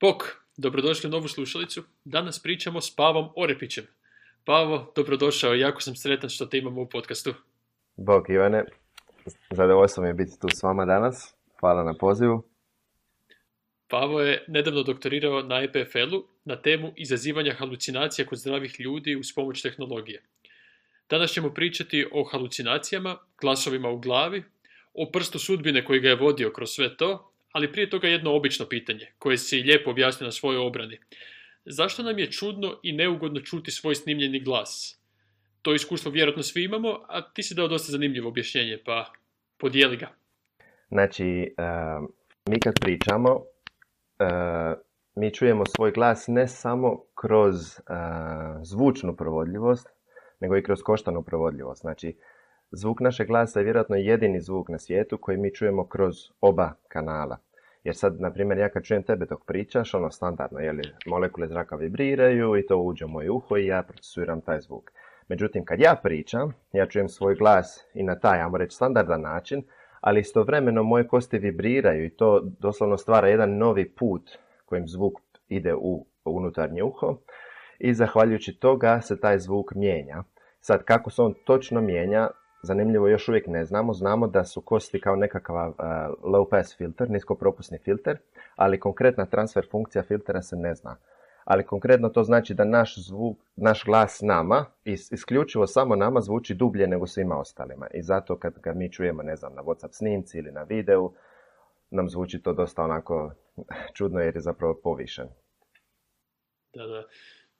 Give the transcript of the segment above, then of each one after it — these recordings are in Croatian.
Bok, dobrodošli u novu slušalicu. Danas pričamo s Pavom Orepićem. Pavo, dobrodošao, jako sam sretan što te imamo u podcastu. Bog Ivane, zadovoljstvo mi je biti tu s vama danas. Hvala na pozivu. Pavo je nedavno doktorirao na EPFL-u na temu izazivanja halucinacija kod zdravih ljudi uz pomoć tehnologije. Danas ćemo pričati o halucinacijama, glasovima u glavi, o prstu sudbine koji ga je vodio kroz sve to, ali prije toga jedno obično pitanje, koje si lijepo objasnio na svojoj obrani. Zašto nam je čudno i neugodno čuti svoj snimljeni glas? To iskustvo vjerojatno svi imamo, a ti si dao dosta zanimljivo objašnjenje, pa podijeli ga. Znači, mi kad pričamo, mi čujemo svoj glas ne samo kroz zvučnu provodljivost, nego i kroz koštanu provodljivost. Znači, zvuk našeg glasa je vjerojatno jedini zvuk na svijetu koji mi čujemo kroz oba kanala. Jer sad, na primjer, ja kad čujem tebe dok pričaš, standardno, molekule zraka vibriraju i to uđe u moje uho i ja procesuiram taj zvuk. Međutim, kad ja pričam, ja čujem svoj glas i na taj, ajmo reći, standardan način, ali istovremeno moje kosti vibriraju i to doslovno stvara jedan novi put kojim zvuk ide u unutarnje uho i zahvaljujući toga se taj zvuk mijenja. Sad, kako se on točno mijenja, zanimljivo još uvijek ne znamo. Znamo da su kosti kao nekakav low pass filter, niskopropusni filter, ali konkretna transfer funkcija filtera se ne zna. Ali konkretno to znači da naš glas nama, isključivo samo nama, zvuči dublje nego svima ostalima. I zato kad ga mi čujemo, ne znam, na WhatsApp snimci ili na videu, nam zvuči to dosta onako čudno jer je zapravo povišen. Da.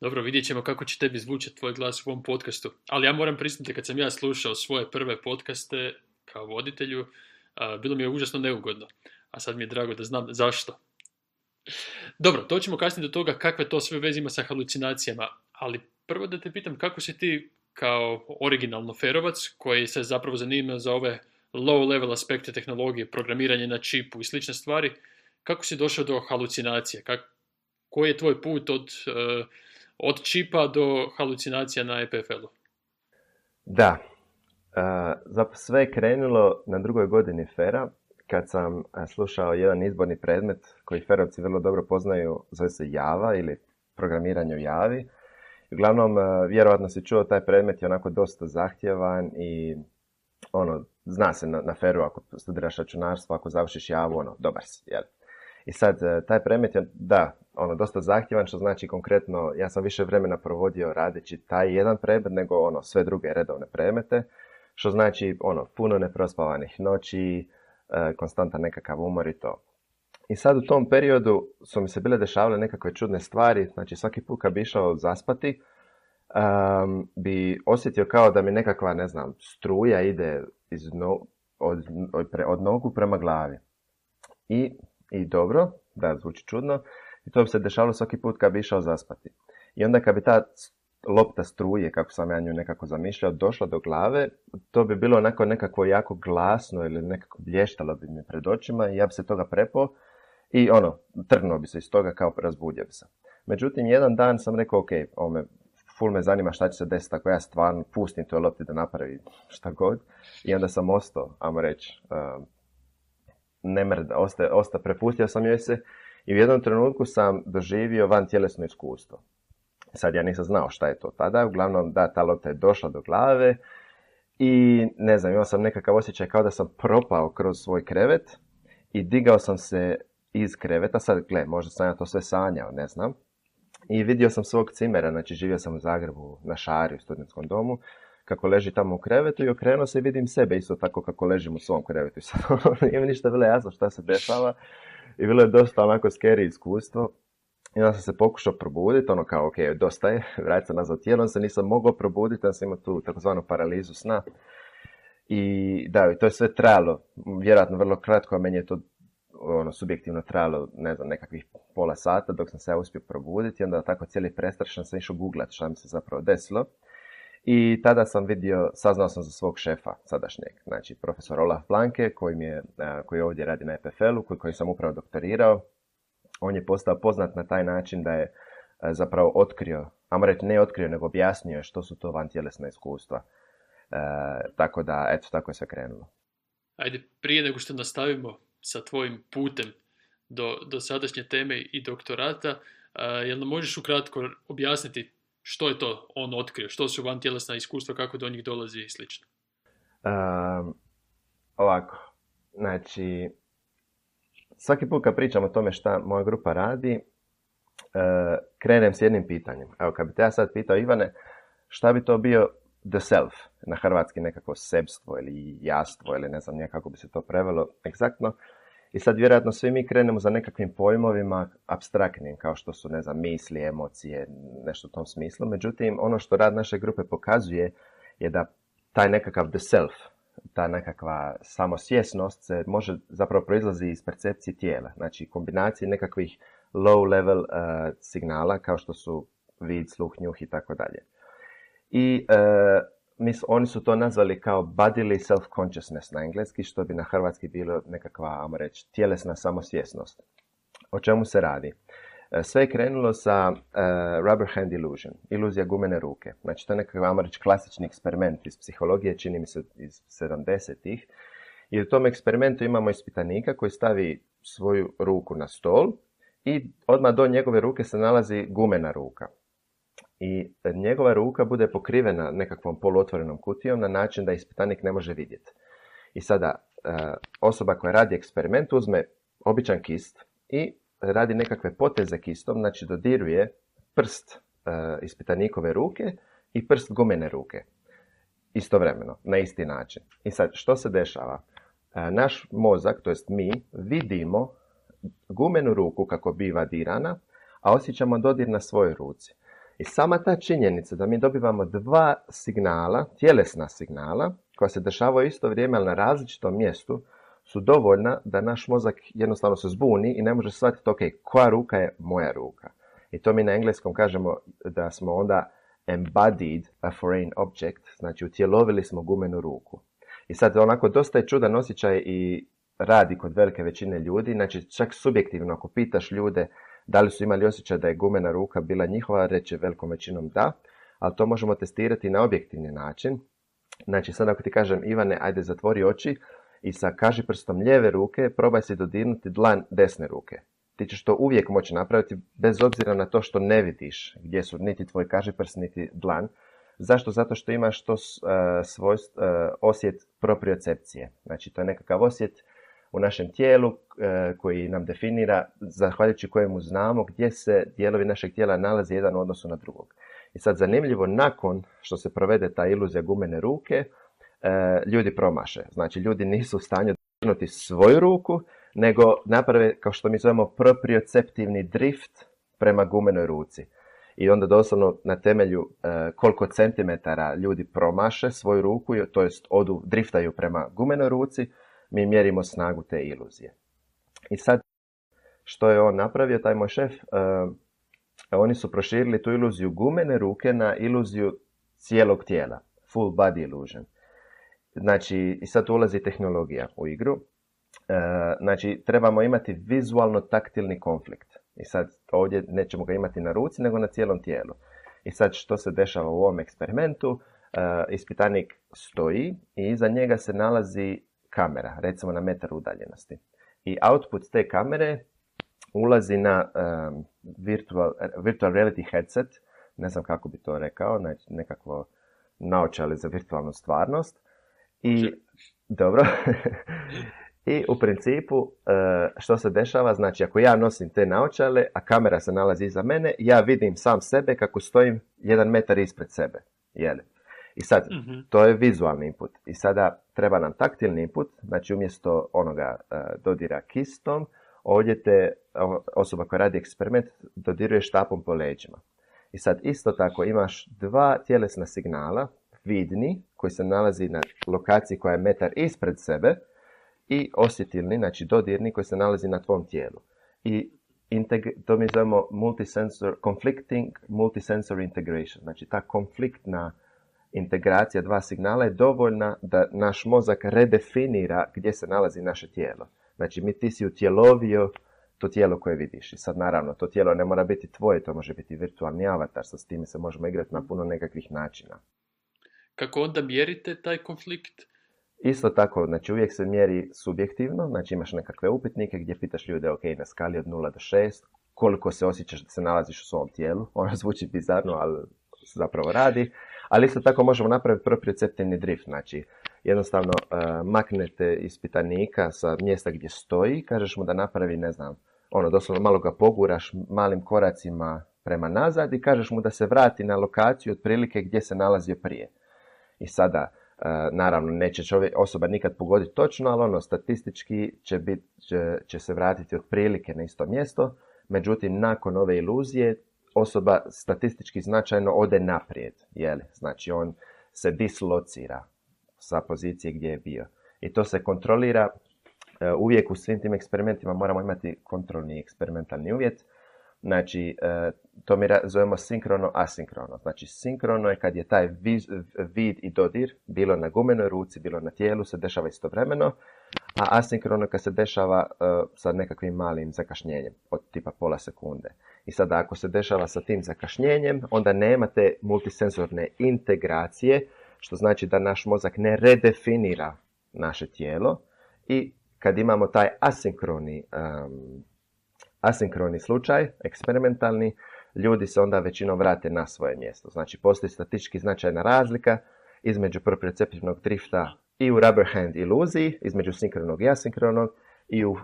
Dobro, vidjet ćemo kako će tebi zvučati tvoj glas u ovom podcastu. Ali ja moram priznati, kad sam ja slušao svoje prve podcaste kao voditelju, bilo mi je užasno neugodno. A sad mi je drago da znam zašto. Dobro, doćemo kasnije do toga kakve to sve veze ima sa halucinacijama. Ali prvo da te pitam kako si ti kao originalno ferovac, koji se zapravo zanima za ove low level aspekte tehnologije, programiranje na čipu i slične stvari, kako si došao do halucinacije? Koji je tvoj put od čipa do halucinacija na EPFL-u? Da, zapravo sve je krenulo na drugoj godini FER-a, kad sam slušao jedan izborni predmet koji ferovci vrlo dobro poznaju, zove se Java ili programiranje u Javi. Uglavnom, vjerojatno si čuo, taj predmet je onako dosta zahtjevan i zna se na FER-u ako studiraš računarstvo, ako završiš Javu, dobar si, jel? I sad, taj predmet je, dosta zahtjevan, što znači konkretno, ja sam više vremena provodio radeći taj jedan predmet nego sve druge redovne predmete, što znači, puno neprospavanih noći, konstantan nekakav umor i to. I sad u tom periodu su mi se bile dešavale nekakve čudne stvari, znači svaki put kad bi išao zaspati, bi osjetio kao da mi nekakva, ne znam, struja ide od nogu prema glavi. I dobro, da, zvuči čudno, i to bi se dešavalo svaki put kad bi išao zaspati. I onda kad bi ta lopta struje, kako sam ja nju nekako zamišljao, došla do glave, to bi bilo onako nekako jako glasno ili nekako blještalo bi mi pred očima i ja bi se toga prepao i trgnuo bi se iz toga, kao razbudio bi se. Međutim, jedan dan sam rekao, ok, ful me zanima šta će se desiti ako ja stvarno pustim toj lopti da napravi šta god. I onda sam ostao, ajmo reći, prepustio sam joj se i u jednom trenutku sam doživio vantjelesno iskustvo. Sad ja nisam znao šta je to tada, uglavnom da, ta lopta je došla do glave i ne znam, imao sam nekakav osjećaj kao da sam propao kroz svoj krevet i digao sam se iz kreveta, sad gle, možda sam ja to sve sanjao, ne znam, i vidio sam svog cimera, znači živio sam u Zagrebu na Šari u studentskom domu, kako leži tamo u krevetu i okrenuo se i vidim sebe isto tako kako ležim u svom krevetu. I sad nije mi ništa bilo jasno šta se dešava i bilo je dosta onako scary iskustvo. I onda sam se pokušao probuditi, kao ok, dosta je, vratiti se nazad tijelo, se nisam mogao probuditi, onda sam imao tu takozvanu paralizu sna. I da, i to je sve trajalo, vjerojatno vrlo kratko, a meni je to subjektivno trajalo, ne znam, nekakvih pola sata dok sam se ja uspio probuditi. I onda tako cijeli prestrašan sam išao googlat šta mi se zapravo desilo. I tada sam saznao sam za svog šefa sadašnjeg, znači profesor Olaf Blanke, koji ovdje radi na EPFL-u, koji sam upravo doktorirao. On je postao poznat na taj način da je zapravo otkrio, ajmo reći ne otkrio, nego objasnio što su to vantjelesna iskustva. Tako da, eto, tako je sve krenulo. Ajde, prije nego što nastavimo sa tvojim putem do sadašnje teme i doktorata. Jel nam možeš ukratko objasniti što je to on otkrio, što su vantjelesna iskustva, kako do njih dolazi i slično? Ovako, znači, svaki put kad pričam o tome šta moja grupa radi, krenem s jednim pitanjem. Evo, kad bi te ja sad pitao, Ivane, šta bi to bio the self, na hrvatski nekako sebstvo ili jastvo ili ne znam kako bi se to prevelo egzaktno. I sad vjerojatno svi mi krenemo za nekakvim pojmovima apstraktnim, kao što su, ne znam, misli, emocije, nešto u tom smislu. Međutim, ono što rad naše grupe pokazuje je da taj nekakav the self, ta nekakva samosvjesnost se može zapravo proizlazi iz percepcije tijela. Znači, kombinacije nekakvih low level signala, kao što su vid, sluh, njuh i tako dalje. I oni su to nazvali kao bodily self-consciousness na engleski, što bi na hrvatski bilo nekakva, ajmo reći, tjelesna samosvjesnost. O čemu se radi? Sve je krenulo sa rubber hand illusion, iluzija gumene ruke. Znači, to je nekakav, ajmo reći, klasični eksperiment iz psihologije, čini mi se iz 70-ih. I u tom eksperimentu imamo ispitanika koji stavi svoju ruku na stol i odmah do njegove ruke se nalazi gumena ruka. I njegova ruka bude pokrivena nekakvom poluotvorenom kutijom na način da ispitanik ne može vidjeti. I sada osoba koja radi eksperiment uzme običan kist i radi nekakve poteze kistom, znači dodiruje prst ispitanikove ruke i prst gumene ruke. Istovremeno, na isti način. I sad, što se dešava? Naš mozak, to jest mi, vidimo gumenu ruku kako biva dirana, a osjećamo dodir na svojoj ruci. I sama ta činjenica da mi dobivamo dva signala, tjelesna signala, koja se dešavaju isto vrijeme, ali na različitom mjestu, su dovoljna da naš mozak jednostavno se zbuni i ne može shvatiti, ok, koja ruka je moja ruka. I to mi na engleskom kažemo da smo onda embodied a foreign object, znači utjelovili smo gumenu ruku. I sad onako dosta je čudan osjećaj i radi kod velike većine ljudi, znači čak subjektivno ako pitaš ljude da li su imali osjećaj da je gumena ruka bila njihova, reći velikom većinom da, ali to možemo testirati na objektivni način. Znači sad ako ti kažem, Ivane, ajde zatvori oči i sa kažiprstom lijeve ruke probaj si dodirnuti dlan desne ruke. Ti ćeš to uvijek moći napraviti bez obzira na to što ne vidiš gdje su niti tvoj kažiprst niti dlan. Zašto? Zato što imaš to osjet propriocepcije. Znači to je nekakav osjet u našem tijelu koji nam definira, zahvaljujući kojemu znamo gdje se dijelovi našeg tijela nalaze jedan u odnosu na drugog. I sad zanimljivo, nakon što se provede ta iluzija gumene ruke, ljudi promaše. Znači ljudi nisu u stanju dodirnuti svoju ruku, nego naprave, kao što mi zovemo, proprioceptivni drift prema gumenoj ruci. I onda doslovno na temelju koliko centimetara ljudi promaše svoju ruku, to jest driftaju prema gumenoj ruci, mi mjerimo snagu te iluzije. I sad, što je on napravio, taj moj šef, oni su proširili tu iluziju gumene ruke na iluziju cijelog tijela, full body illusion. Znači, i sad ulazi tehnologija u igru. Znači, trebamo imati vizualno-taktilni konflikt. I sad, ovdje nećemo ga imati na ruci, nego na cijelom tijelu. I sad, što se dešava u ovom eksperimentu? Ispitanik stoji i iza njega se nalazi kamera, recimo na metar udaljenosti. I output te kamere ulazi na virtual reality headset, ne znam kako bi to rekao, znači nekakvo naočale za virtualnu stvarnost. I, dobro, i u principu što se dešava, znači ako ja nosim te naočale, a kamera se nalazi iza mene, ja vidim sam sebe kako stojim 1 metar ispred sebe. Jeli? I sad, to je vizualni input. I sada treba nam taktilni input, znači umjesto onoga dodira kistom, ovdje te osoba koja radi eksperiment dodiruje štapom po leđima. I sad isto tako imaš dva tjelesna signala, vidni, koji se nalazi na lokaciji koja je metar ispred sebe, i osjetilni, znači dodirni, koji se nalazi na tvom tijelu. I to mi zovemo conflicting multisensory integration. Znači ta konfliktna integracija dva signala je dovoljna da naš mozak redefinira gdje se nalazi naše tijelo. Znači ti si utjelovio to tijelo koje vidiš. I sad naravno to tijelo ne mora biti tvoje, to može biti virtualni avatar, sa s time se možemo igrati na puno nekakvih načina. Kako onda mjerite taj konflikt? Isto tako, znači uvijek se mjeri subjektivno, znači imaš nekakve upitnike gdje pitaš ljude, ok, na skali od 0 do 6, koliko se osjećaš da se nalaziš u svom tijelu. Ono zvuči bizarno, ali se zapravo radi. Ali isto tako možemo napraviti proprioceptivni drift, znači jednostavno maknete ispitanika sa mjesta gdje stoji, kažeš mu da napravi, ne znam, ono, doslovno malo ga poguraš malim koracima prema nazad i kažeš mu da se vrati na lokaciju otprilike gdje se nalazio prije. I sada, naravno, neće osoba nikad pogoditi točno, ali ono, statistički će se vratiti otprilike na isto mjesto, međutim, nakon ove iluzije, osoba statistički značajno ode naprijed, jeli? Znači, on se dislocira sa pozicije gdje je bio. I to se kontrolira. Uvijek u svim tim eksperimentima moramo imati kontrolni eksperimentalni uvjet. Znači, to mi zovemo sinkrono-asinkrono. Znači, sinkrono je kad je taj vid i dodir, bilo na gumenoj ruci, bilo na tijelu, se dešava istovremeno, a asinkrono kad se dešava sa nekakvim malim zakašnjenjem, od tipa pola sekunde. I sada, ako se dešava sa tim zakašnjenjem, onda nema te multisenzorne integracije, što znači da naš mozak ne redefinira naše tijelo. I kad imamo taj asinkroni slučaj, eksperimentalni, ljudi se onda većinom vrate na svoje mjesto. Znači, postoji statistički značajna razlika između proprioceptivnog drifta i u rubber hand iluziji, između sinkronog i asinkronog, i u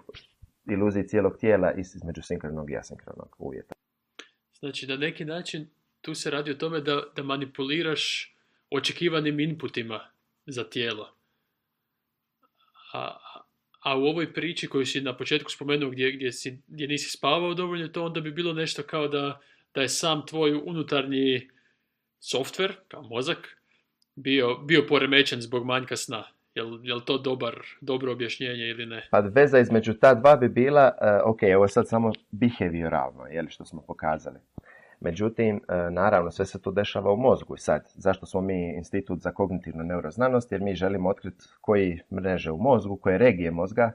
iluziji cijelog tijela između sinkronog i asinkronog uvjeta. Znači, na neki način tu se radi o tome da manipuliraš očekivanim inputima za tijelo. A u ovoj priči koju si na početku spomenuo gdje nisi spavao dovoljno, to onda bi bilo nešto kao da je sam tvoj unutarnji softver, kao mozak, bio poremećen zbog manjka sna. Jel to dobro objašnjenje ili ne? Pa veza između ta dva bi bila, ok, ovo je sad samo behavioralno, što smo pokazali. Međutim, naravno, sve se to dešava u mozgu. I sad, zašto smo mi Institut za kognitivnu neuroznanost? Jer mi želimo otkriti koji mreže u mozgu, koje regije mozga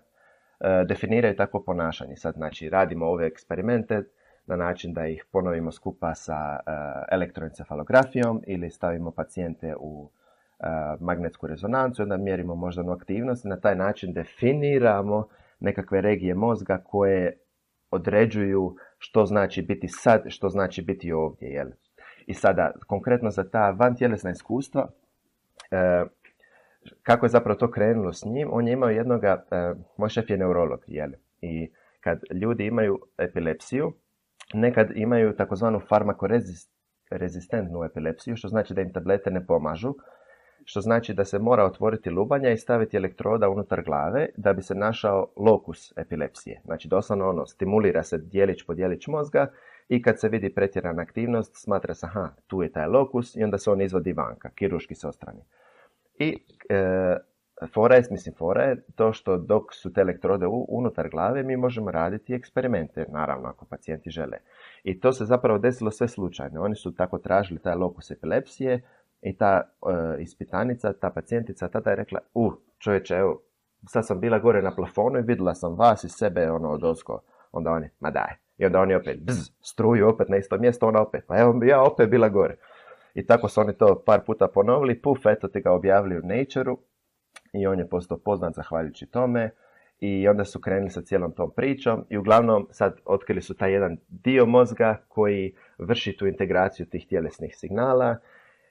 definiraju takvo ponašanje. Sad, znači, radimo ove eksperimente na način da ih ponovimo skupa sa elektroencefalografijom ili stavimo pacijente u magnetsku rezonancu, onda mjerimo moždanu aktivnost i na taj način definiramo nekakve regije mozga koje određuju što znači biti sad, što znači biti ovdje. Jel? I sada, konkretno za ta vantjelesna iskustva, kako je zapravo to krenulo s njim, on je imao jednoga, moj šef je neurolog, jel? I kad ljudi imaju epilepsiju, nekad imaju takozvanu farmakorezistentnu epilepsiju, što znači da im tablete ne pomažu, što znači da se mora otvoriti lubanja i staviti elektroda unutar glave da bi se našao lokus epilepsije. Znači doslovno stimulira se dijelić po dijelić mozga i kad se vidi pretjerana aktivnost, smatra se, tu je taj lokus i onda se on izvodi vanka, kirurški se odstrani. I fora je to što dok su te elektrode unutar glave, mi možemo raditi eksperimente, naravno ako pacijenti žele. I to se zapravo desilo sve slučajno. Oni su tako tražili taj lokus epilepsije i ta ispitanica, ta pacijentica tada je rekla, čovječe, evo, sad sam bila gore na plafonu i vidjela sam vas i sebe odozgo. Onda oni, ma daj. I onda oni opet, struju opet na isto mjesto, ona opet, pa evo ja opet bila gore. I tako su oni to par puta ponovili, eto ti ga objavili u Nature-u i on je postao poznat zahvaljujući tome i onda su krenuli sa cijelom tom pričom i uglavnom sad otkrili su taj jedan dio mozga koji vrši tu integraciju tih tjelesnih signala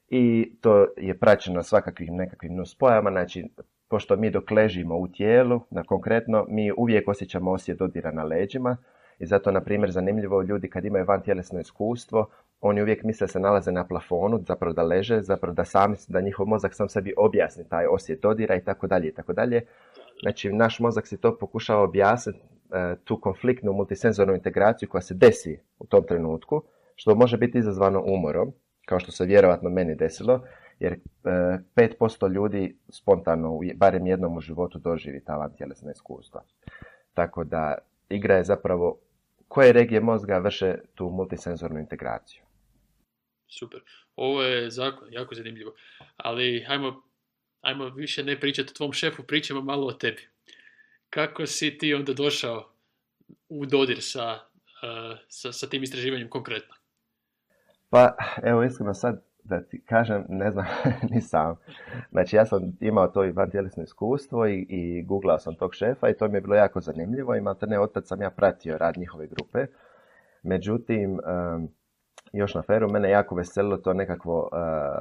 i to je praćeno svakakvim nekakvim nuspojama, znači pošto mi dok ležimo u tijelu, konkretno, mi uvijek osjećamo osjet dodira na leđima i zato, na primjer, zanimljivo ljudi kad imaju vantjelesno iskustvo, oni uvijek misle se nalaze na plafonu, zapravo da leže, zapravo da njihov mozak sam sebi objasni taj osjet dodira i tako dalje i tako dalje. Znači, naš mozak si to pokušava objasniti, tu konfliktnu multisenzornu integraciju koja se desi u tom trenutku, što može biti izazvano umorom, kao što se vjerovatno meni desilo, jer 5% ljudi spontano, barem jednom u životu, doživi ta vantjelesna iskustva. Tako da igra je zapravo koje regije mozga vrše tu multisenzornu integraciju. Super. Ovo je jako zanimljivo. Ali ajmo više ne pričati o tvom šefu, pričamo malo o tebi. Kako si ti onda došao u dodir sa tim istraživanjem konkretno? Pa, evo, iskreno sad, da ti kažem, ne znam ni sam. Znači, ja sam imao to i vantjelesno iskustvo i googlao sam tog šefa i to mi je bilo jako zanimljivo i maltene otad sam ja pratio rad njihove grupe. Međutim, još na feru, mene jako veselilo to nekakvo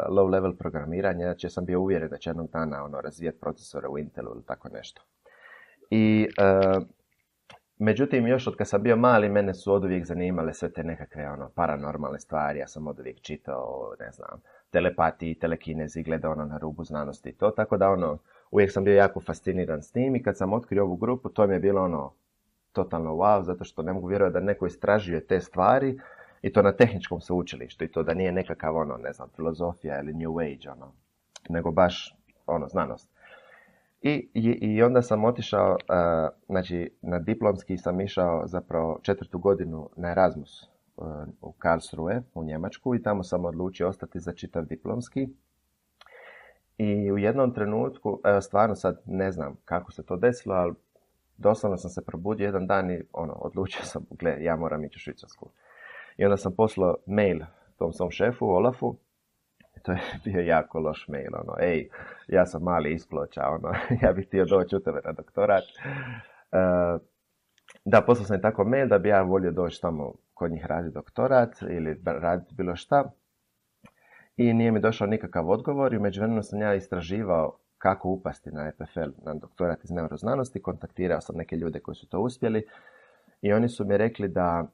low level programiranje, znači ja sam bio uvjeren da će jednog dana razvijati procesore u Intelu ili tako nešto. I međutim, još od kad sam bio mali, mene su oduvijek zanimale sve te nekakve paranormalne stvari. Ja sam oduvijek čitao, ne znam, telepatiji, telekinezi, gledao na rubu znanosti i to. Tako da uvijek sam bio jako fasciniran s tim i kad sam otkrio ovu grupu, to mi je bilo totalno wow, zato što ne mogu vjerovati da neko istražuje te stvari i to na tehničkom sveučilištu i to da nije nekakav ne znam, filozofija ili New Age, nego baš znanost. I onda sam otišao, znači na diplomski sam išao zapravo 4. godinu na Erasmus u Karlsruhe u Njemačku i tamo sam odlučio ostati za čitav diplomski. I u jednom trenutku, stvarno sad ne znam kako se to desilo, ali doslovno sam se probudio jedan dan i odlučio sam, ja moram ići u Švicarsku. I onda sam poslao mail tom svom šefu, Olafu. To je bio jako loš mail, ej, ja sam mali iz Ploča, ja bih htio doći u tebe na doktorat. Da, poslao sam tako mail da bi ja volio doći tamo kod njih raditi doktorat ili raditi bilo šta. I nije mi došao nikakav odgovor i u međuvremenu sam ja istraživao kako upasti na EPFL, na doktorat iz neuroznanosti. Kontaktirao sam neke ljude koji su to uspjeli i oni su mi rekli da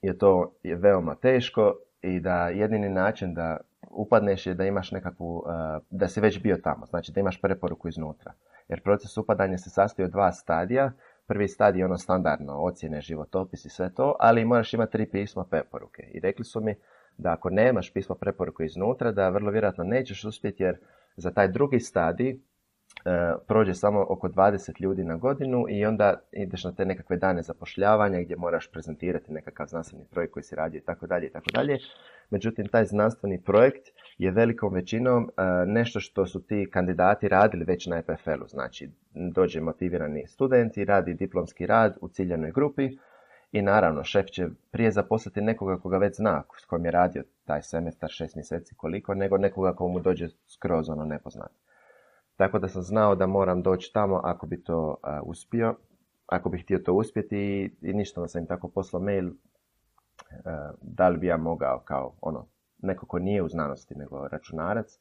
je to veoma teško i da jedini način da upadneš je da imaš nekakvu, da si već bio tamo, znači da imaš preporuku iznutra. Jer proces upadanja se sastoji od 2 stadija. Prvi stadij je standardno, ocjene, životopis i sve to, ali moraš imati 3 pisma preporuke. I rekli su mi da ako nemaš pismo preporuke iznutra, da vrlo vjerojatno nećeš uspjeti jer za taj drugi stadij prođe samo oko 20 ljudi na godinu i onda ideš na te nekakve dane zapošljavanja gdje moraš prezentirati nekakav znanstveni projekt koji si radio i tako dalje. Međutim, taj znanstveni projekt je velikom većinom nešto što su ti kandidati radili već na EPFL-u. Znači, dođe motivirani student i radi diplomski rad u ciljanoj grupi i naravno, šef će prije zaposliti nekoga koga već zna, s kojim je radio taj semestar 6 mjeseci koliko, nego nekoga ko mu dođe skroz nepoznat. Tako da sam znao da moram doći tamo ako bi to uspio, ako bih htio to uspjeti i ništa sam im tako poslao mail da li bi ja mogao kao neko ko nije u znanosti nego računarac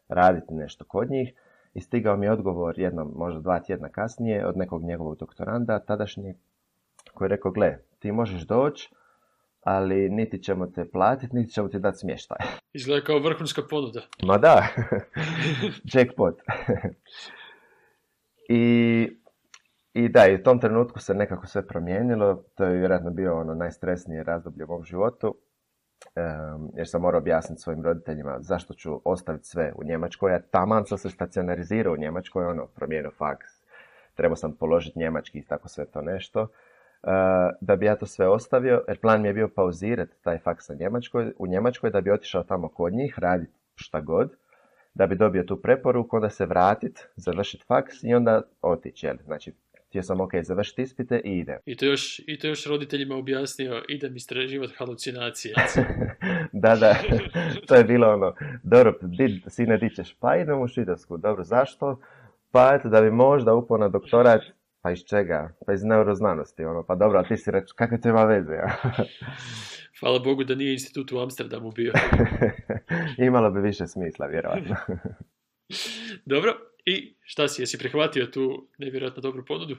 raditi nešto kod njih i stigao mi je odgovor jednom, možda 2 tjedna kasnije od nekog njegovog doktoranda tadašnjeg koji je rekao, gle, ti možeš doći, ali niti ćemo te platiti, niti ćemo ti dati smještaj. Izgleda kao vrhunska ponuda. Ma da, jackpot. I da, i u tom trenutku se nekako sve promijenilo. To je vjerojatno bio najstresnije razdoblje u mom životu. Jer sam morao objasniti svojim roditeljima zašto ću ostaviti sve u Njemačkoj. Ja taman sam se stacionarizirao u Njemačkoj, promijenio faks. Trebao sam položiti njemački i tako sve to nešto. Da bi ja to sve ostavio, jer plan mi je bio pauzirati taj faks u Njemačkoj, da bi otišao tamo kod njih, raditi šta god, da bi dobio tu preporuku, onda se vratiti, završiti faks i onda otići. Znači, htio sam završiti ispite i idem. I to još roditeljima objasnio, idem istraživati halucinacije. Da, to je bilo dobro, sine, di ćeš? Pa idem u Švicarsku. Dobro, zašto? Pa eto, da bi možda upao na doktorat. Pa iz čega? Pa iz neuroznanosti. Pa dobro, a ti si reći, kakve to ima veze? Ja? Hvala Bogu da nije institut u Amsterdamu bio. Imalo bi više smisla, vjerojatno. Dobro, i šta si? Jesi prihvatio tu nevjerojatno dobru ponudu?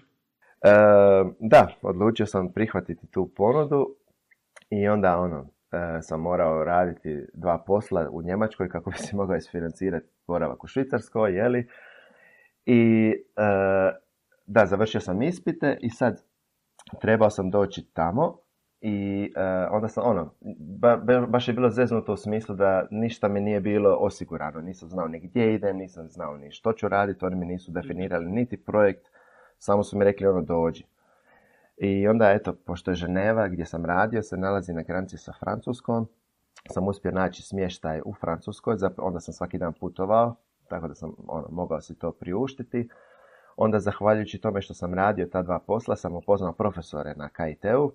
Da, odlučio sam prihvatiti tu ponudu i onda sam morao raditi 2 posla u Njemačkoj kako bi se mogao isfinancirati boravak u Švicarskoj, jeli? I da, završio sam ispite i sad trebao sam doći tamo i onda sam baš je bilo zeznuto u smislu da ništa mi nije bilo osigurano. Nisam znao ni gdje idem, nisam znao ni što ću raditi, oni mi nisu definirali niti projekt, samo su mi rekli dođi. I onda eto, pošto je Ženeva gdje sam radio se nalazi na granici sa Francuskom, sam uspio naći smještaj u Francuskoj, onda sam svaki dan putovao, tako da sam mogao si to priuštiti. Onda, zahvaljujući tome što sam radio ta 2 posla, sam upoznao profesore na KIT-u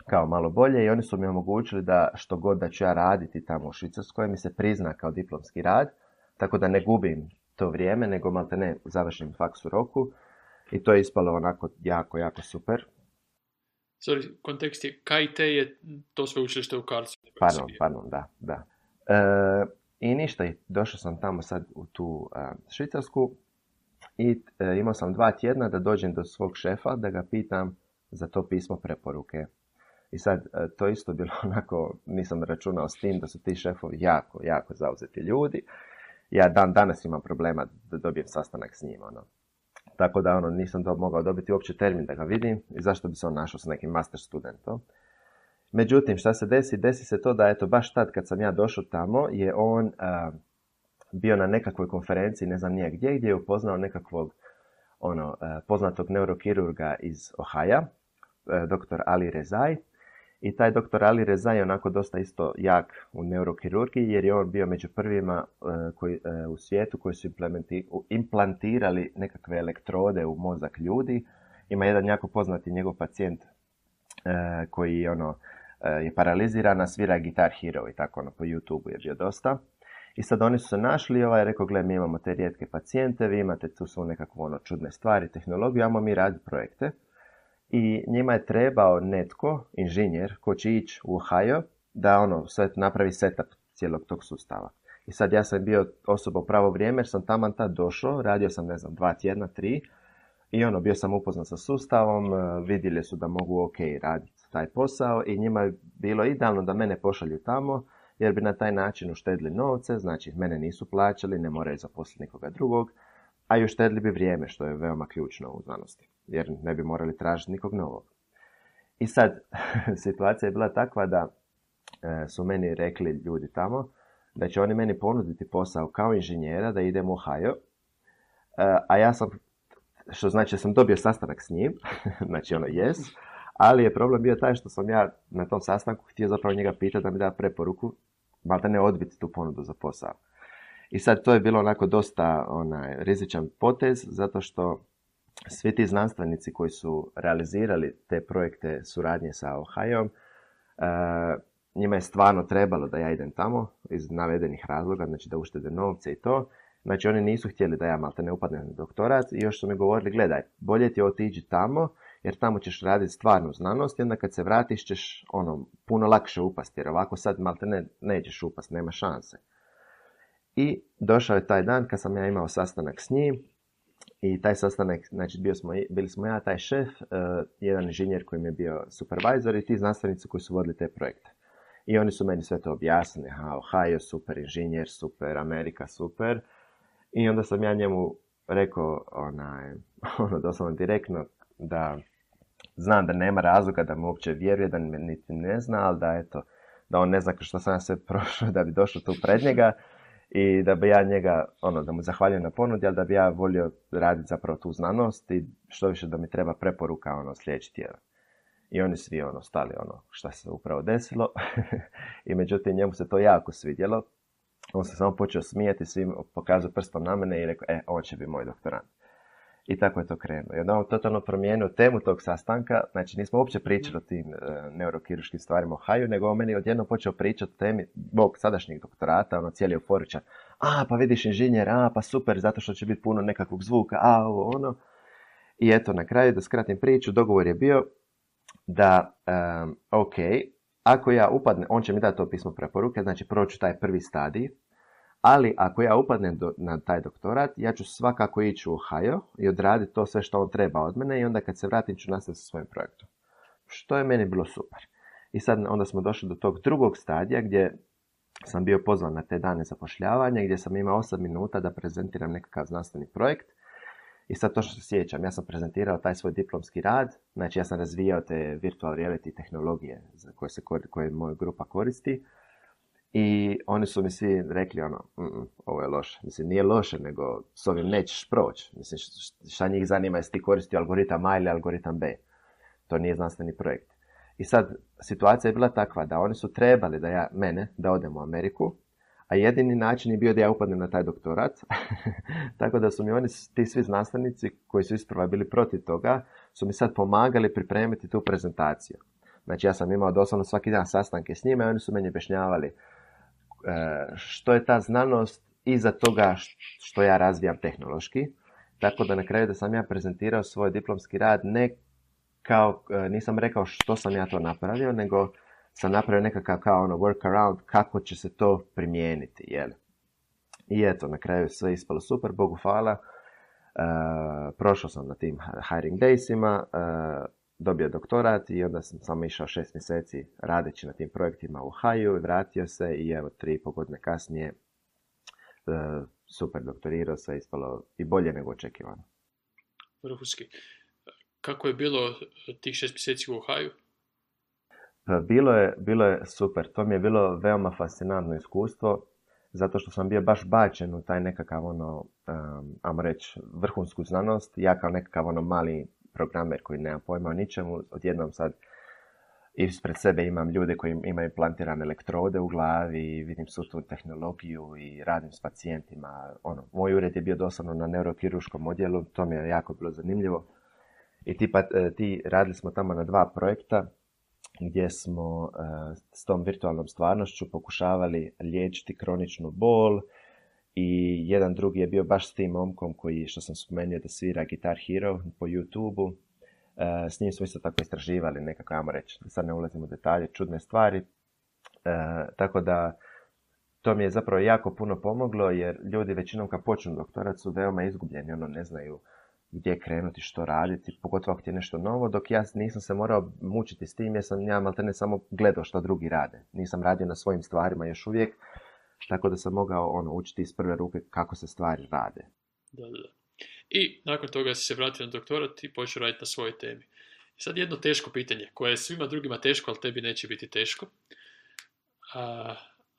kao malo bolje i oni su mi omogućili da što god da ću ja raditi tamo u Švicarskoj mi se prizna kao diplomski rad, tako da ne gubim to vrijeme, nego malte ne završim faks u roku i to je ispalo onako jako, jako super. Sorry, kontekst je, KIT je to sveučilište u Karlsruhe. Pardon, da. I ništa, došao sam tamo sad u tu Švicarsku i imao sam 2 tjedna da dođem do svog šefa, da ga pitam za to pismo preporuke. I sad, to isto bilo onako, nisam računao s tim da su ti šefovi jako, jako zauzeti ljudi. Ja danas imam problema da dobijem sastanak s njima, ono. Tako da nisam mogao dobiti uopće termin da ga vidim i zašto bi se on našao sa nekim master studentom. Međutim, šta se desi? Desi se to da, eto, baš tad kad sam ja došao tamo, je on bio na nekakvoj konferenciji, ne znam nije gdje je upoznao nekakvog poznatog neurokirurga iz Ohaja, dr. Ali Rezai. I taj dr. Ali Rezai je onako dosta isto jak u neurokirurgiji, jer je on bio među prvima u svijetu koji su implantirali nekakve elektrode u mozak ljudi. Ima jedan jako poznati njegov pacijent koji je paraliziran, a svira Guitar Hero i tako po YouTube je bio dosta. I sad oni su se našli, je rekao, gle, mi imamo te rijetke pacijente, vi imate tu su nekakve čudne stvari, tehnologiju, ajmo mi raditi projekte. I njima je trebao netko, inženjer, ko će ići u Ohio, da sve napravi setup cijelog tog sustava. I sad ja sam bio osoba u pravo vrijeme, jer sam taman tad došao, radio sam, 2 tjedna, 3, i bio sam upoznat sa sustavom, vidjeli su da mogu ok raditi taj posao i njima je bilo idealno da mene pošalju tamo, jer bi na taj način uštedili novce, znači mene nisu plaćali, ne moraju zaposliti nikoga drugog, a i uštedili bi vrijeme, što je veoma ključno u znanosti, jer ne bi morali tražiti nikog novog. I sad, situacija je bila takva da su meni rekli ljudi tamo da će oni meni ponuditi posao kao inženjera da idem u Ohio, a ja sam, što znači da sam dobio sastanak s njim, znači yes, ali je problem bio taj što sam ja na tom sastanku htio zapravo njega pitati da mi da preporuku, malta ne odbiti tu ponudu za posao. I sad to je bilo onako dosta rizičan potez, zato što svi ti znanstvenici koji su realizirali te projekte suradnje sa Ohijom, njima je stvarno trebalo da ja idem tamo iz navedenih razloga, znači da uštede novce i to. Znači oni nisu htjeli da ja malta ne upadnem na doktorat i još su mi govorili, gledaj, bolje ti otići tamo, jer tamo ćeš raditi stvarnu znanost i onda kad se vratiš ćeš puno lakše upasti, jer ovako sad malta nećeš upasti, nema šanse. I došao je taj dan kad sam ja imao sastanak s njim i taj sastanak, znači bili smo ja, taj šef, jedan inženjer koji mi je bio supervisor i ti znanstvenici koji su vodili te projekte. I oni su meni sve to objasnili, Ohio, super inženjer, super, Amerika, super. I onda sam ja njemu rekao, doslovno direktno, da znam da nema razloga da mu uopće vjeruje, da me niti ne zna, ali da on ne zna što sam ja sve prošao da bi došao tu pred njega i da bi ja njega, da mu zahvaljujem na ponudi, ali da bi ja volio raditi zapravo tu znanost i što više da mi treba preporuka sljedeći tjedan. I oni svi stali šta se upravo desilo i međutim njemu se to jako svidjelo. On se samo počeo smijeti, svim pokazao prstom na mene i rekao, on će biti moj doktorant. I tako je to krenulo. I onda on totalno promijenio temu tog sastanka, znači nismo uopće pričali o tim neurokirurškim stvarima o Ohiju, nego on meni odjednom počeo pričati o temi mog sadašnjeg doktorata, cijeli euforičan. Pa vidiš inženjer, pa super, zato što će biti puno nekakvog zvuka, I eto, na kraju, da skratim priču, dogovor je bio da, ako ja upadnem, on će mi dati to pismo preporuke, znači proću taj prvi stadij, ali ako ja upadnem na taj doktorat, ja ću svakako ići u Ohio i odraditi to sve što on treba od mene i onda kad se vratim ću nastaviti sa svojim projektom. Što je meni bilo super. I sad onda smo došli do tog drugog stadija gdje sam bio pozvan na te dane zapošljavanja, gdje sam imao 8 minuta da prezentiram nekakav znanstveni projekt. I sad to što se sjećam, ja sam prezentirao taj svoj diplomski rad, znači ja sam razvijao te virtual reality tehnologije koje moja grupa koristi. I oni su mi svi rekli, ovo je loše. Mislim, nije loše, nego s ovim nećeš proći. Mislim, šta njih zanima jesi ti koristio algoritam A ili algoritam B. To nije znanstveni projekt. I sad, situacija je bila takva da oni su trebali da odem u Ameriku, a jedini način je bio da ja upadnem na taj doktorat. Tako da su mi ti svi znanstvenici koji su isprva bili protiv toga, su mi sad pomagali pripremiti tu prezentaciju. Znači ja sam imao doslovno svaki dan sastanke s njima i oni su meni objašnjavali što je ta znanost iza toga što ja razvijam tehnološki. Tako da na kraju da sam ja prezentirao svoj diplomski rad ne kao, nisam rekao što sam ja to napravio, nego sam napravio nekakav kao ono workaround kako će se to primijeniti, jel? I eto, na kraju sve ispalo super, Bogu hvala. Prošao sam na tim hiring daysima, dobio doktorat i onda sam samo išao 6 mjeseci radeći na tim projektima u Ohio, vratio se i evo 3,5 godine kasnije super doktorirao, sve ispalo i bolje nego očekivano. Vrhunski. Kako je bilo tih 6 mjeseci u Ohio? Bilo je super. To mi je bilo veoma fascinantno iskustvo, zato što sam bio baš bačen u taj nekakav ajmo reći, vrhunsku znanost. Ja kao nekakav mali programer koji nema pojma o ničemu, odjednom sad ispred sebe imam ljude koji imaju implantirane elektrode u glavi i vidim svu tu tehnologiju i radim s pacijentima. Moj ured je bio doslovno na neurokirurškom odjelu, to mi je jako bilo zanimljivo. I radili smo tamo na 2 projekta gdje smo s tom virtualnom stvarnošću pokušavali liječiti kroničnu bol i jedan drugi je bio baš s tim momkom koji, što sam spomenuo, da svira Guitar Hero po YouTube-u. S njim smo isto tako istraživali nekako, ajmo reći, da sad ne ulazim u detalje, čudne stvari. Tako da to mi je zapravo jako puno pomoglo jer ljudi većinom kad počnu doktorat su veoma izgubljeni, ne znaju gdje krenuti, što raditi, pogotovo ako ti je nešto novo, dok ja nisam se morao mučiti s tim jer sam ja maltene samo gledao što drugi rade. Nisam radio na svojim stvarima još uvijek, tako da sam mogao učiti iz prve ruke kako se stvari rade. Da. I nakon toga si se vratio na doktorat i počeo raditi na svojoj temi. I sad jedno teško pitanje, koje je svima drugima teško, ali tebi neće biti teško. A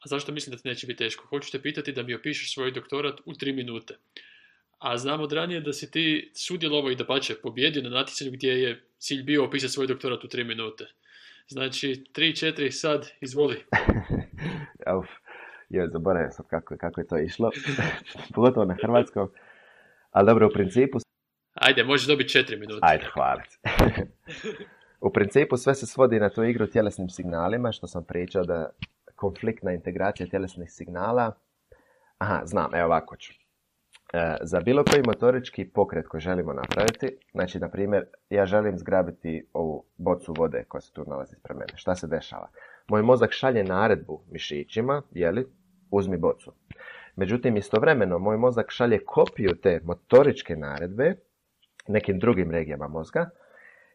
zašto mislim da ti neće biti teško? Hoću te pitati da mi opišeš svoj doktorat u 3 minute. A znam od ranije da si ti sudjelovao i dapače pobjedio na natjecanju gdje je cilj bio opisati svoj doktorat u 3 minute. Znači, 3-4, sad, izvoli. Zaboravio sam kako je to išlo, pogotovo na hrvatskom. Ali dobro, u principu... Ajde, možeš dobiti 4 minute. Ajde, hvala. U principu sve se svodi na tu igru tjelesnim signalima, što sam pričao da konfliktna integracija tjelesnih signala... Aha, znam, evo ovako ću. Za bilo koji motorički pokret koji želimo napraviti, znači, na primjer, ja želim zgrabiti ovu bocu vode koja se tu nalazi ispred mene. Šta se dešava? Moj mozak šalje naredbu mišićima, uzmi bocu. Međutim, istovremeno, moj mozak šalje kopiju te motoričke naredbe nekim drugim regijama mozga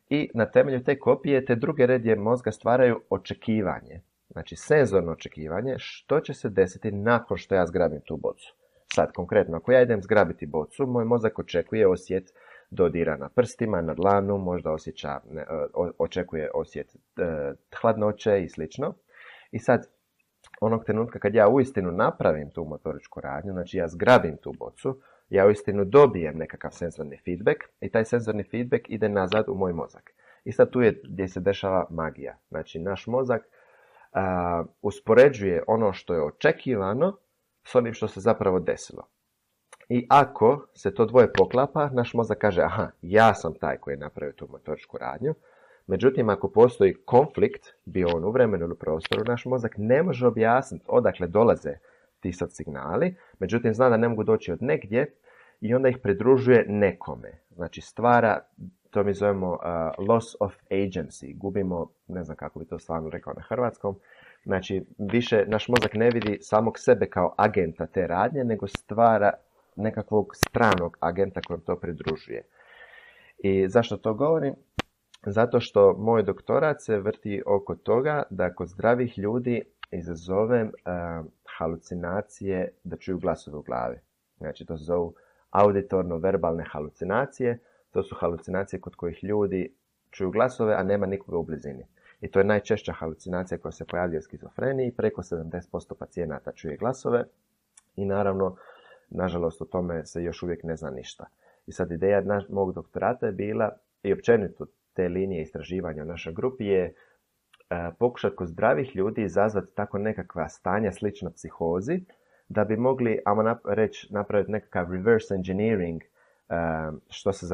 i na temelju te kopije te druge regije mozga stvaraju očekivanje. Znači, senzorno očekivanje što će se desiti nakon što ja zgrabim tu bocu. Sad, konkretno, ako ja idem zgrabiti bocu, moj mozak očekuje osjet dodira na prstima, na dlanu, možda očekuje osjet hladnoće i slično. I sad, onog trenutka kad ja uistinu napravim tu motoričku radnju, znači ja zgrabim tu bocu, ja uistinu dobijem nekakav senzorni feedback i taj senzorni feedback ide nazad u moj mozak. I sad tu je gdje se dešava magija. Znači, naš mozak uspoređuje ono što je očekivano s onim što se zapravo desilo. I ako se to dvoje poklapa, naš mozak kaže, aha, ja sam taj koji je napravio tu motoričku radnju. Međutim, ako postoji konflikt, bio on u vremenu ili prostoru, naš mozak ne može objasniti odakle dolaze ti sad signali, međutim zna da ne mogu doći od negdje i onda ih pridružuje nekome. Znači stvara, to mi zovemo loss of agency, gubimo, ne znam kako bi to stvarno rekao na hrvatskom, znači više naš mozak ne vidi samog sebe kao agenta te radnje, nego stvara nekakvog stranog agenta kojem to pridružuje. I zašto to govorim? Zato što moj doktorat se vrti oko toga da kod zdravih ljudi izazovem halucinacije da čuju glasove u glavi. Znači to se zovu auditorno-verbalne halucinacije. To su halucinacije kod kojih ljudi čuju glasove, a nema nikoga u blizini. I to je najčešća halucinacija koja se pojavljuje u skizofreniji. Preko 70% pacijenata čuje glasove i naravno, nažalost, o tome se još uvijek ne zna ništa. I sad ideja mog doktorata je bila, i općenito te linije istraživanja u našoj grupi, je pokušati kod zdravih ljudi izazvati tako nekakva stanja slična psihozi, da bi mogli, napraviti nekakav reverse engineering, što se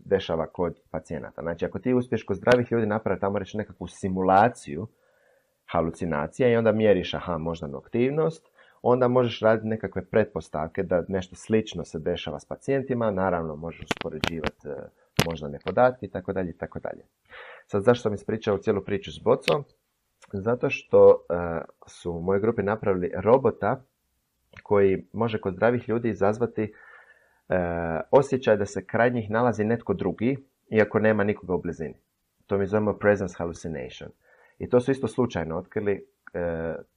dešava kod pacijenata. Znači, ako ti uspiješ kod zdravih ljudi napraviti tamo reći nekakvu simulaciju halucinacija i onda mjeriš moždanu aktivnost, onda možeš raditi nekakve pretpostavke da nešto slično se dešava s pacijentima, naravno možeš uspoređivati moždane podatke itd. itd. Sad, zašto sam ispričao cijelu priču s bocom? Zato što su u mojoj grupi napravili robota koji može kod zdravih ljudi izazvati osjećaj da se kraj njih nalazi netko drugi, iako nema nikoga u blizini. To mi zovemo presence hallucination. I to su isto slučajno otkrili,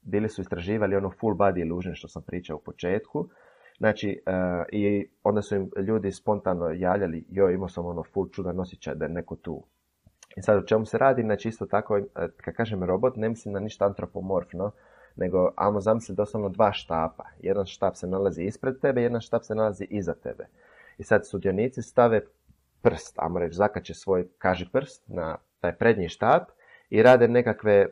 bili su istraživali ono full body illusion što sam pričao u početku. Znači, i onda su im ljudi spontano javljali, imao sam ono full čudan osjećaj da je neko tu. I sad o čemu se radi, znači isto tako, kad kažem robot, ne mislim na ništa antropomorfno, nego zamisli doslovno dva štapa. Jedan štap se nalazi ispred tebe, jedan štap se nalazi iza tebe. I sad sudionici stave prst, zakače svoj kažiprst na taj prednji štap i rade nekakve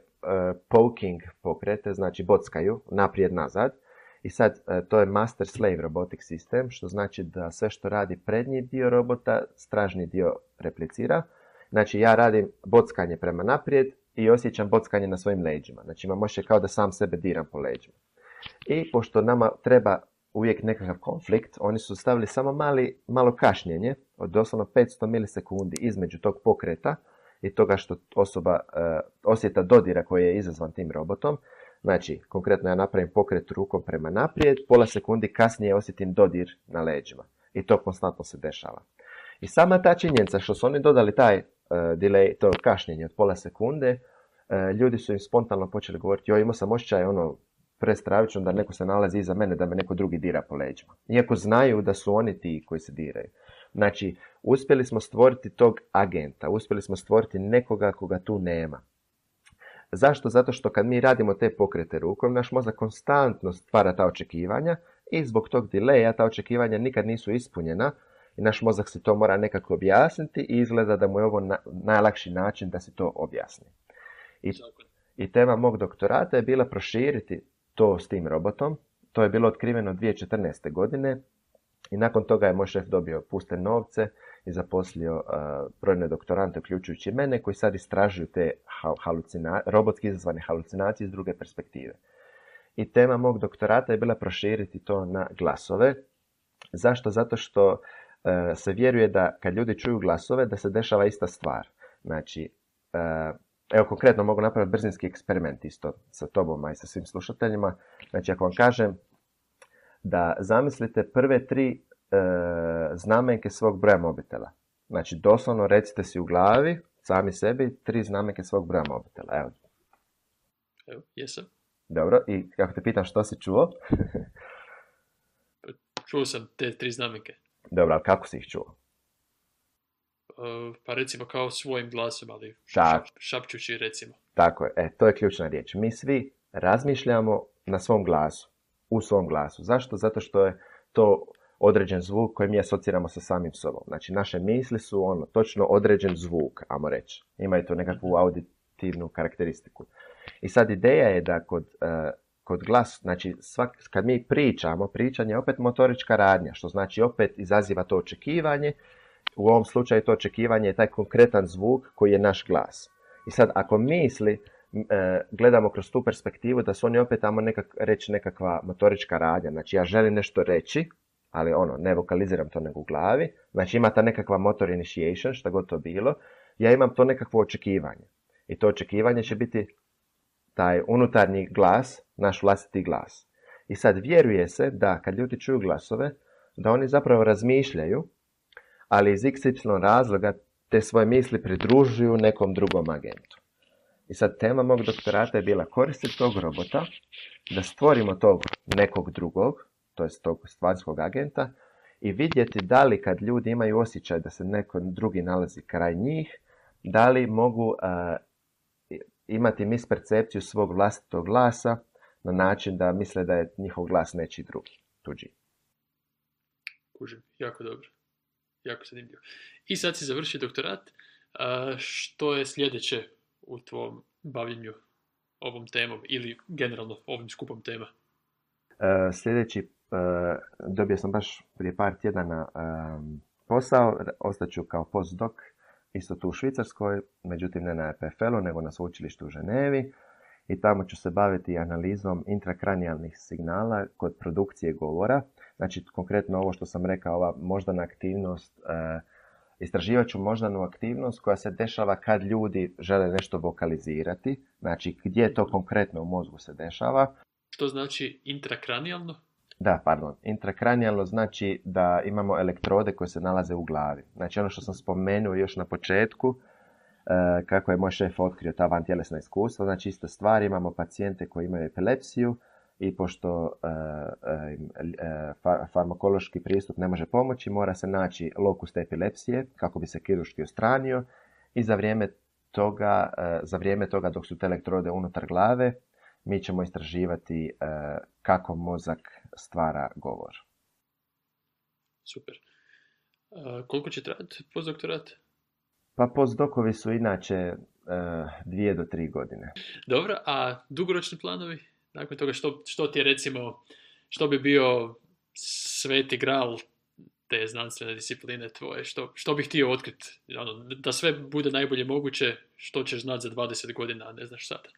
poking pokrete, znači bockaju naprijed-nazad. I sad to je master-slave robotic system, što znači da sve što radi prednji dio robota, stražni dio replicira. Znači ja radim bockanje prema naprijed i osjećam bockanje na svojim leđima. Znači imam osjećaj kao da sam sebe diram po leđima. I pošto nama treba uvijek nekakav konflikt, oni su stavili samo malo kašnjenje od doslovno 500 milisekundi između tog pokreta i toga što osoba osjeta dodira koji je izazvan tim robotom. Znači, konkretno ja napravim pokret rukom prema naprijed, pola sekundi kasnije osjetim dodir na leđima. I to konstantno se dešava. I sama ta činjenica što su oni dodali taj delay, to kašnjenje od pola sekunde, ljudi su im spontano počeli govoriti, imao sam osjećaj prestravično da neko se nalazi iza mene, da me neko drugi dira po leđima. Iako znaju da su oni ti koji se diraju. Znači, uspjeli smo stvoriti tog agenta, uspjeli smo stvoriti nekoga koga tu nema. Zašto? Zato što kad mi radimo te pokrete rukom, naš mozak konstantno stvara ta očekivanja i zbog tog delaya ta očekivanja nikad nisu ispunjena i naš mozak se to mora nekako objasniti i izgleda da mu je ovo najlakši način da se to objasni. I tema mog doktorata je bila proširiti to s tim robotom. To je bilo otkriveno 2014. godine i nakon toga je moj šef dobio puste novce i zaposlio brojne doktorante, uključujući mene, koji sad istražuju te robotski izazvane halucinacije iz druge perspektive. I tema mog doktorata je bila proširiti to na glasove. Zašto? Zato što se vjeruje da kad ljudi čuju glasove, da se dešava ista stvar. Znači, evo konkretno mogu napraviti brzinski eksperiment isto sa tobom i sa svim slušateljima. Znači, ako vam kažem da zamislite prve 3 znamenke svog broja mobitela. Znači, doslovno recite si u glavi, sami sebi, 3 znamenke svog broja mobitela. Evo, jesam. Dobro, i kako te pitam što si čuo? Čuo sam te 3 znamenke. Dobro, ali kako si ih čuo? Pa recimo kao svojim glasom, ali šapćući recimo. Tako je, to je ključna riječ. Mi svi razmišljamo na svom glasu, u svom glasu. Zašto? Zato što je to određen zvuk koji mi asociramo sa samim sobom. Znači, naše misli su točno određen zvuk, ajmo reći. Imaju to nekakvu auditivnu karakteristiku. I sad ideja je da kod glas, znači kad mi pričamo, pričanje je opet motorička radnja, što znači opet izaziva to očekivanje. U ovom slučaju to očekivanje je taj konkretan zvuk koji je naš glas. I sad ako misli, gledamo kroz tu perspektivu da su oni opet tamo reći nekakva motorička radnja. Znači ja želim nešto reći, ali ne vokaliziram to nego u glavi. Znači ima ta nekakva motor initiation, šta god to bilo. Ja imam to nekakvo očekivanje. I to očekivanje će biti taj unutarnji glas, naš vlastiti glas. I sad vjeruje se da kad ljudi čuju glasove, da oni zapravo razmišljaju, ali iz XY razloga te svoje misli pridružuju nekom drugom agentu. I sad tema mog doktorata je bila koristiti tog robota, da stvorimo tog nekog drugog, to jest tog stvarskog agenta, i vidjeti da li kad ljudi imaju osjećaj da se neko drugi nalazi kraj njih, da li mogu imati mispercepciju svog vlastitog glasa na način da misle da je njihov glas nečiji drugi, tuđi. Kužim, jako dobro. Jako zanimljivo. I sad si završio doktorat. Što je sljedeće u tvom bavljenju ovom temom ili generalno ovim skupom tema? Sljedeći, dobio sam baš prije par tjedana posao, ostaću kao postdoc, isto tu u Švicarskoj, međutim ne na EPFL-u, nego na sveučilištu u Ženevi. I tamo ću se baviti analizom intrakranijalnih signala kod produkcije govora. Znači, konkretno ovo što sam rekao, ova moždana aktivnost, istraživat ću moždanu aktivnost koja se dešava kad ljudi žele nešto vokalizirati. Znači, gdje to konkretno u mozgu se dešava. Što znači intrakranijalno? Da, pardon. Intrakranijalno znači da imamo elektrode koje se nalaze u glavi. Znači, ono što sam spomenuo još na početku, kako je moj šef otkrio ta vantjelesna iskustva, znači ista stvar, imamo pacijente koji imaju epilepsiju i pošto farmakološki pristup ne može pomoći, mora se naći lokus te epilepsije kako bi se kirurški odstranio i za vrijeme toga dok su te elektrode unutar glave, mi ćemo istraživati kako mozak stvara govor. Super. Koliko će trajati postdoktorat? Pa postdokovi su inače 2 do 3 godine. Dobro, a dugoročni planovi? Nakon toga što ti je recimo, što bi bio sveti gral te znanstvene discipline tvoje? Što bih htio otkriti? Da sve bude najbolje moguće, što ćeš znati za 20 godina, a ne znaš sada?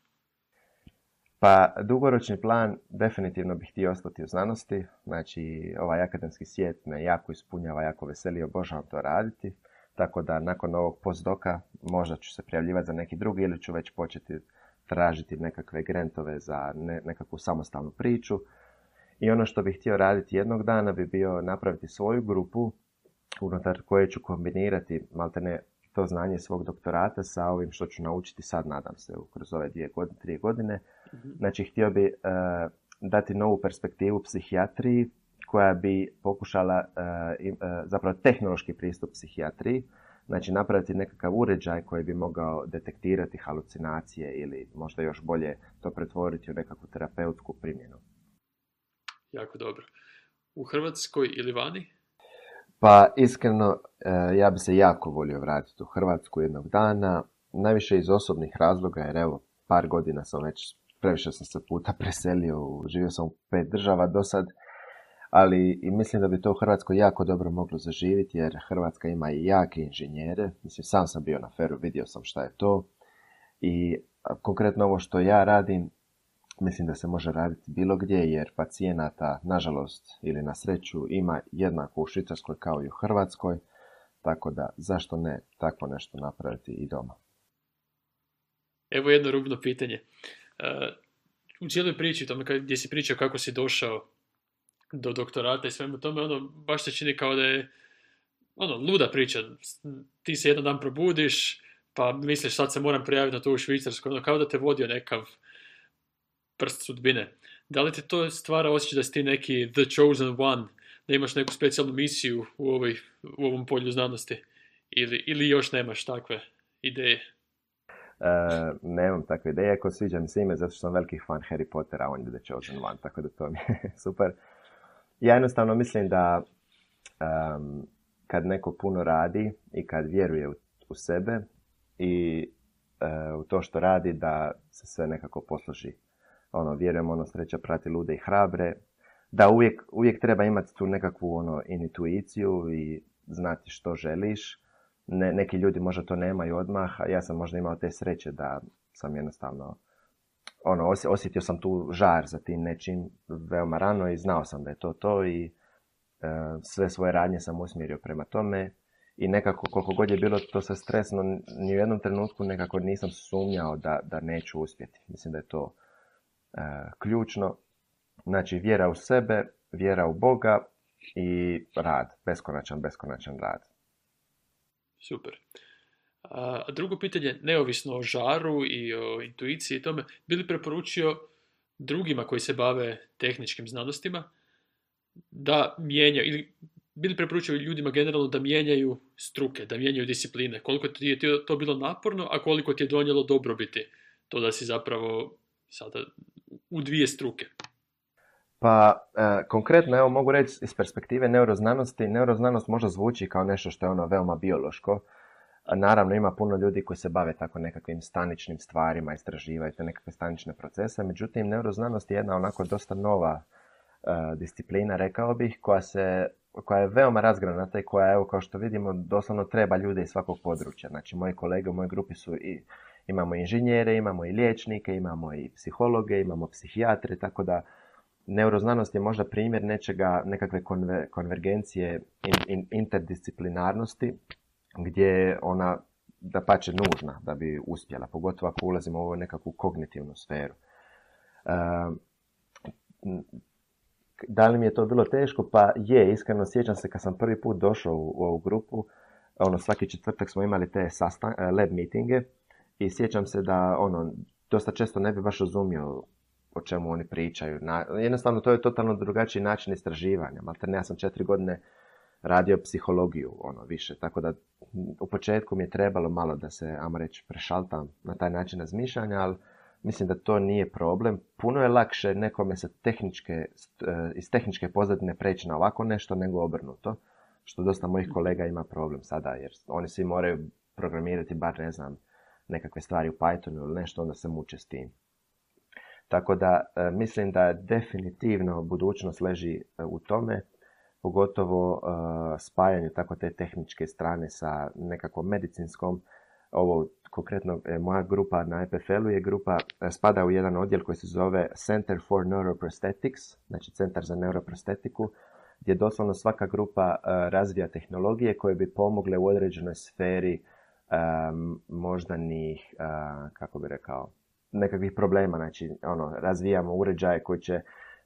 Pa dugoročni plan definitivno bih htio ostati u znanosti. Znači ovaj akademski svijet me jako ispunjava, jako veseli, obožavam to raditi. Tako da nakon ovog postdoka možda ću se prijavljivati za neki drugi ili ću već početi tražiti nekakve grantove za nekakvu samostalnu priču. I ono što bih htio raditi jednog dana bi bio napraviti svoju grupu unutar koje ću kombinirati maltene to znanje svog doktorata sa ovim što ću naučiti sad, nadam se, kroz ove 3 godine. Znači, htio bi dati novu perspektivu psihijatriji koja bi pokušala zapravo tehnološki pristup psihijatriji, znači napraviti nekakav uređaj koji bi mogao detektirati halucinacije ili možda još bolje to pretvoriti u nekakvu terapeutsku primjenu. Jako dobro. U Hrvatskoj ili vani? Pa iskreno, ja bi se jako volio vratiti u Hrvatsku jednog dana, najviše iz osobnih razloga, jer evo, par godina sam već, previše sam se puta preselio, živio sam u 5 država do sad, ali i mislim da bi to u Hrvatskoj jako dobro moglo zaživjeti, jer Hrvatska ima i jake inženjere. Mislim, sam bio na FER-u, vidio sam šta je to. I konkretno ovo što ja radim, mislim da se može raditi bilo gdje, jer pacijenata, nažalost ili na sreću, ima jednako u Švicarskoj kao i u Hrvatskoj. Tako da, zašto ne tako nešto napraviti i doma? Evo jedno rubno pitanje. U cijeloj priči, tome gdje si pričao kako si došao do doktorata i svemu tome, baš se čini kao da je luda priča. Ti se jedan dan probudiš, pa misliš sad se moram prijaviti na to u Švicarsku, kao da te vodio nekav prst sudbine. Da li ti to stvara osjećaj da si ti neki the chosen one, da imaš neku specijalnu misiju u ovom polju znanosti? Ili još nemaš takve ideje? Nemam takve ideje, ako sviđa mi se ime, zato što sam veliki fan Harry Pottera, on je the chosen one, tako da to mi je super. Ja jednostavno mislim da kad neko puno radi i kad vjeruje u sebe i u to što radi, da se sve nekako posloži. Vjerujem, sreća prati lude i hrabre. Da uvijek treba imati tu nekakvu intuiciju i znati što želiš. Neki ljudi možda to nemaju odmah, a ja sam možda imao te sreće da sam jednostavno osjetio sam tu žar za tim nečim veoma rano i znao sam da je to i sve svoje radnje sam usmjerio prema tome i nekako koliko god je bilo to sve stresno, ni u jednom trenutku nekako nisam sumnjao da neću uspjeti. Mislim da je to ključno. Znači vjera u sebe, vjera u Boga i rad, beskonačan rad. Super. A drugo pitanje, neovisno o žaru i o intuiciji i tome, bi li preporučio drugima koji se bave tehničkim znanostima da mijenjaju, ili bi li preporučio ljudima generalno da mijenjaju struke, da mijenjaju discipline? Koliko ti je to bilo naporno, a koliko ti je donijelo dobrobiti to da si zapravo sada u 2 struke? Pa, konkretno, evo mogu reći iz perspektive neuroznanosti, neuroznanost možda zvuči kao nešto što je veoma biološko. Naravno, ima puno ljudi koji se bave tako nekakvim staničnim stvarima, istraživaju te nekakve stanične procese, međutim, neuroznanost je jedna onako dosta nova disciplina, rekao bih, koja je veoma razgranata i koja, evo, kao što vidimo, doslovno treba ljude iz svakog područja. Znači, moji kolege u mojoj grupi imamo inženjere, imamo i liječnike, imamo i psihologe, imamo psihijatre, tako da neuroznanost je možda primjer nekakve konvergencije interdisciplinarnosti, gdje je ona dapače nužna da bi uspjela, pogotovo ako ulazimo u ovu nekakvu kognitivnu sferu. Da li mi je to bilo teško? Pa je, iskreno sjećam se kad sam prvi put došao u ovu grupu, svaki četvrtak smo imali te lab meetinge i sjećam se da dosta često ne bi baš razumio o čemu oni pričaju. Jednostavno to je totalno drugačiji način istraživanja. Maltene ja sam 4 godine radio psihologiju, više. Tako da u početku mi je trebalo malo da se, ajmo reći, prešaltam na taj način razmišljanja, ali mislim da to nije problem. Puno je lakše nekome iz tehničke pozadine preći na ovako nešto nego obrnuto, što dosta mojih kolega ima problem sada, jer oni svi moraju programirati bar, ne znam, nekakve stvari u Pythonu ili nešto, onda se muče s tim. Tako da mislim da definitivno budućnost leži u tome, pogotovo spajanju tako te tehničke strane sa nekakvom medicinskom. Ovo konkretno moja grupa na EPFL-u je grupa, spada u jedan odjel koji se zove Center for Neuroprosthetics, znači Centar za neuroprostetiku, gdje doslovno svaka grupa razvija tehnologije koje bi pomogle u određenoj sferi moždanih, kako bi rekao, nekakvih problema. Znači, razvijamo uređaje koji će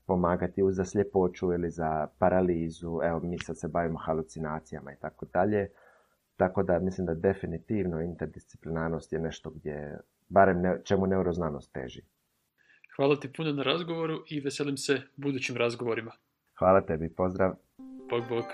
pomagati za sljepoću ili za paralizu. Evo, mi sad se bavimo halucinacijama i tako dalje. Tako da mislim da definitivno interdisciplinarnost je nešto gdje, barem čemu neuroznanost teži. Hvala ti puno na razgovoru i veselim se budućim razgovorima. Hvala tebi, pozdrav. Bog, bog.